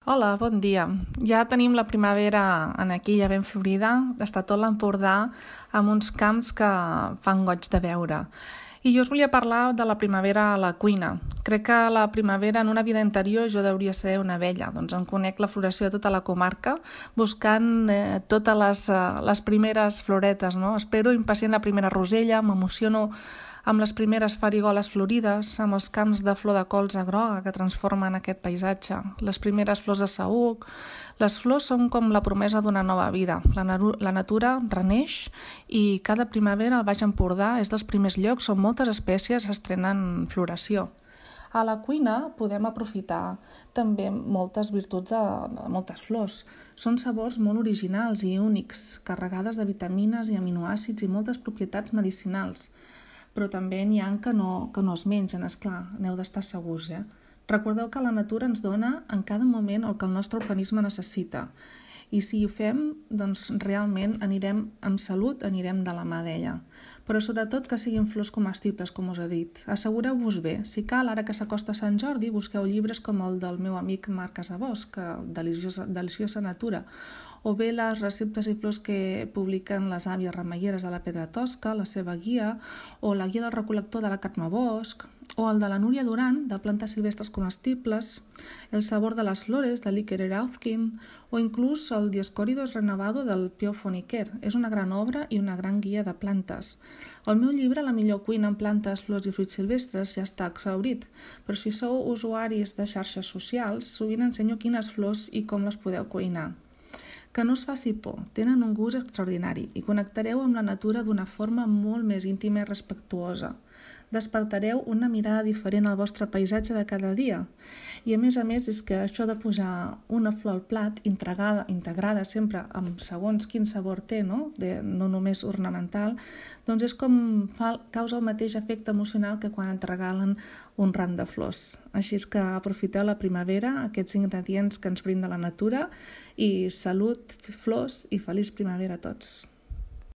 Hola, bon dia. Ja tenim la primavera aquí, ja ben florida. Està tot l'Empordà amb uns camps que fan goig de veure. I jo us volia parlar de la primavera a la cuina. Crec que la primavera en una vida anterior jo hauria ser una abella. Doncs em conec la floració de tota la comarca buscant totes les primeres floretes, no? Espero impacient la primera rosella, m'emociono amb les primeres farigoles florides, amb els camps de flor de colza groga que transformen aquest paisatge, les primeres flors de saüc. Les flors són com la promesa d'una nova vida. La natura reneix i cada primavera al Baix Empordà és dels primers llocs on moltes espècies estrenen floració. A la cuina podem aprofitar també moltes virtuts de moltes flors. Són sabors molt originals i únics, carregades de vitamines i aminoàcids i moltes propietats medicinals. Però també n'hi ha que no es mengen, esclar, n'heu d'estar segurs. Recordeu que la natura ens dona en cada moment el que el nostre organisme necessita. I si ho fem, doncs realment anirem amb salut, anirem de la mà d'ella. Però sobretot que siguin flors comestibles, com us he dit. Assegureu-vos bé. Si cal, ara que s'acosta Sant Jordi, busqueu llibres com el del meu amic Marc Casabós, Deliciosa Natura, o bé les receptes i flors que publiquen les àvies remeieres de la Pedra Tosca, la seva guia, o la guia del recol·lector de la Carme Bosch, o el de la Núria Duran, de plantes silvestres comestibles, El sabor de les flores, de l'Iker Erauzkin, o inclús el Dioscóridos renovado del Pio Foniquer. És una gran obra i una gran guia de plantes. El meu llibre, La millor cuina amb plantes, flors i fruits silvestres, ja està exhaurit, però si sou usuaris de xarxes socials, sovint ensenyo quines flors i com les podeu cuinar. Que no us faci por, tenen un gust extraordinari i connectareu amb la natura d'una forma molt més íntima i respectuosa. Despertareu una mirada diferent al vostre paisatge de cada dia. I a més és que això de posar una flor al plat integrada sempre amb segons quin sabor té, no només ornamental, doncs és com causa el mateix efecte emocional que quan et regalen un ram de flors. Així és que aprofiteu la primavera, aquests ingredients que ens brinda la natura, i salut, flors i feliç primavera a tots.